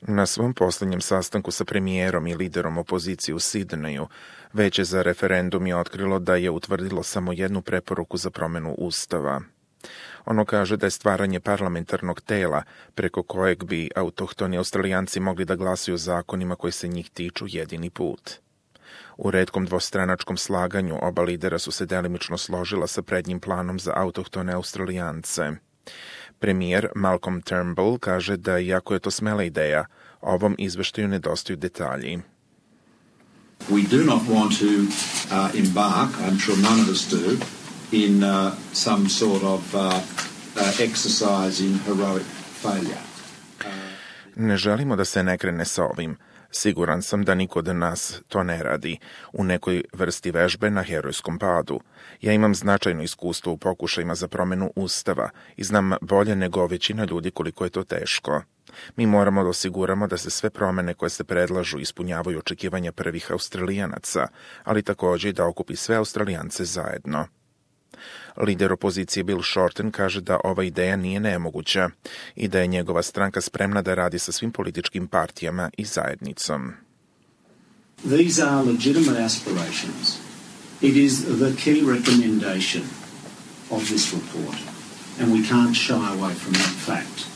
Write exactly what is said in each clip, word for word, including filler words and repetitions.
Na svom posljednjem sastanku sa premijerom i liderom opozicije u Sidneju, Veće za referendum je otkrilo da je utvrdilo samo jednu preporuku za promjenu Ustava. Ono kaže da je stvaranje parlamentarnog tela preko kojeg bi autohtoni Australijanci mogli da glasuju zakonima koji se njih tiču jedini put. U retkom dvostranačkom slaganju oba lidera su se delimično složila sa prednjim planom za autohtone Australijance. Premijer Malcolm Turnbull kaže da, iako je to smela ideja, ovom izveštaju nedostaju detalji. We do not want to uh, embark, I'm sure none of us do, in uh, some sort of uh, uh, exercise in heroic failure. Uh, ne želimo da se ne krene sa ovim. Siguran sam da niko od nas to ne radi, u nekoj vrsti vežbe na herojskom padu. Ja imam značajno iskustvo u pokušajima za promjenu Ustava i znam bolje nego većina ljudi koliko je to teško. Mi moramo da osiguramo da se sve promjene koje se predlažu ispunjavaju očekivanja prvih Australijanaca, ali također i da okupi sve Australijance zajedno. Lider opozicije Bill Shorten kaže da ova ideja nije nemoguća i da je njegova stranka spremna da radi sa svim političkim partijama i zajednicom. These are legitimate aspirations. It is the key recommendation of this report, and we can't shy away from that fact.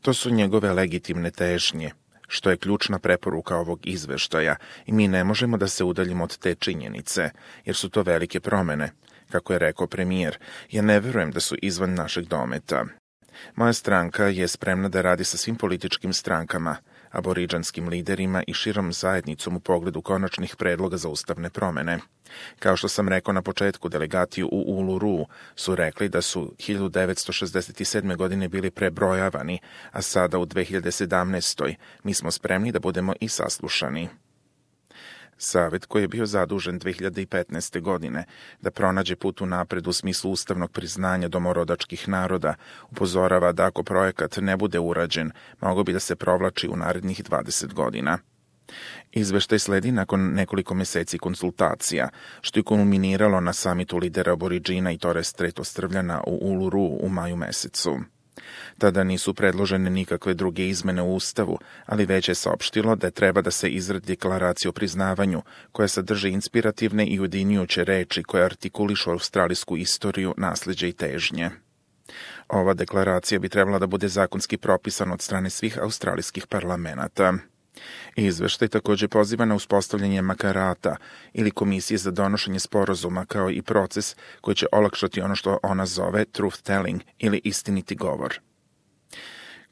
To su njegove legitimne težnje, što je ključna preporuka ovog izveštaja, i mi ne možemo da se udaljimo od te činjenice, jer su to velike promjene. Kako je rekao premijer, ja ne verujem da su izvan našeg dometa. Moja stranka je spremna da radi sa svim političkim strankama, aboriđanskim liderima i širom zajednicom u pogledu konačnih predloga za ustavne promjene. Kao što sam rekao na početku, delegati u Uluru su rekli da su hiljadu devetsto šezdeset sedme. godine bili prebrojavani, a sada u dve hiljade sedamnaestoj. mi smo spremni da budemo i saslušani. Savet, koji je bio zadužen dve hiljade petnaeste. godine da pronađe put unapred u smislu ustavnog priznanja domorodačkih naroda, upozorava da ako projekat ne bude urađen, mogao bi da se provlači u narednih dvadeset godina. Izveštaj sledi nakon nekoliko meseci konsultacija, što je kulminiralo na samitu lidera Aboriđina i Torres Strait Ostrvljana u Uluru u maju mesecu. Tada nisu predložene nikakve druge izmene u Ustavu, ali već je saopštilo da treba da se izradi deklaracija o priznavanju, koja sadrži inspirativne i ujedinjujuće reči koje artikulišu australijsku istoriju, nasleđe i težnje. Ova deklaracija bi trebala da bude zakonski propisana od strane svih australijskih parlamenata. Izveštaj također poziva na uspostavljanje makarata ili komisije za donošenje sporazuma, kao i proces koji će olakšati ono što ona zove truth telling ili istiniti govor.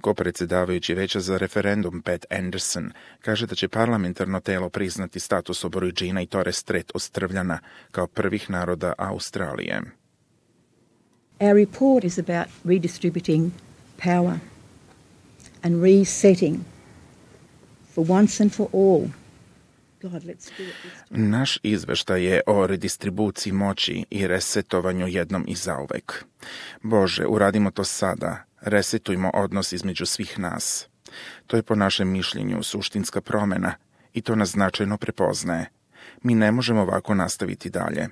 Ko-predsjedavajući Veća za referendum Pat Anderson kaže da će parlamentarno telo priznati status Aboriđina i Torres Strait Ostrvljana kao prvih naroda Australije. Our report is about redistributing power and resetting for once and for all. God, let's do it. Naš izveštaj je o redistribuciji moći i resetovanju jednom i zauvek. Bože, uradimo to sada. Resetujmo odnos između svih nas. To je po našem mišljenju suštinska promjena i to nas značajno prepoznaje. Mi ne možemo ovako nastaviti dalje.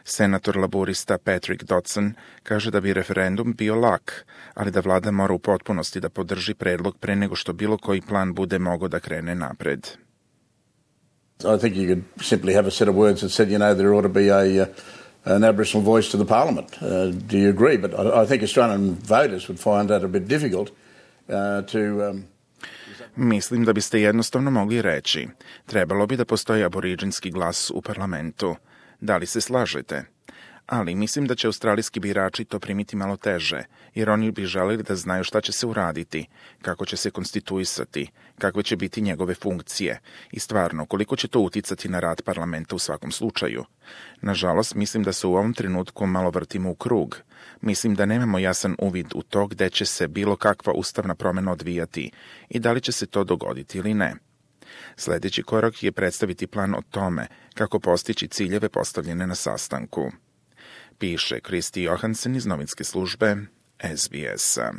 Senator laborista Patrick Dodson kaže da bi referendum bio lak, ali da vlada mora u potpunosti da podrži predlog pre nego što bilo koji plan bude mogao da krene napred. I think you could simply have a set of words that said, you know, there ought to be a, uh, an Aboriginal voice to the Parliament. Uh, do you agree? But I, I think Australian voters would find that a bit difficult uh, to... Um... Mislim da biste jednostavno mogli reći, trebalo bi da postoji aboriđinski glas u parlamentu. Da li se slažete? Ali mislim da će australijski birači to primiti malo teže, jer oni bi želeli da znaju šta će se uraditi, kako će se konstituisati, kakve će biti njegove funkcije i stvarno koliko će to uticati na rad parlamenta u svakom slučaju. Nažalost, mislim da se u ovom trenutku malo vrtimo u krug. Mislim da nemamo jasan uvid u to gde će se bilo kakva ustavna promjena odvijati i da li će se to dogoditi ili ne. Sljedeći korak je predstaviti plan o tome kako postići ciljeve postavljene na sastanku. Piše Kristi Johansen iz novinske službe S B S-a.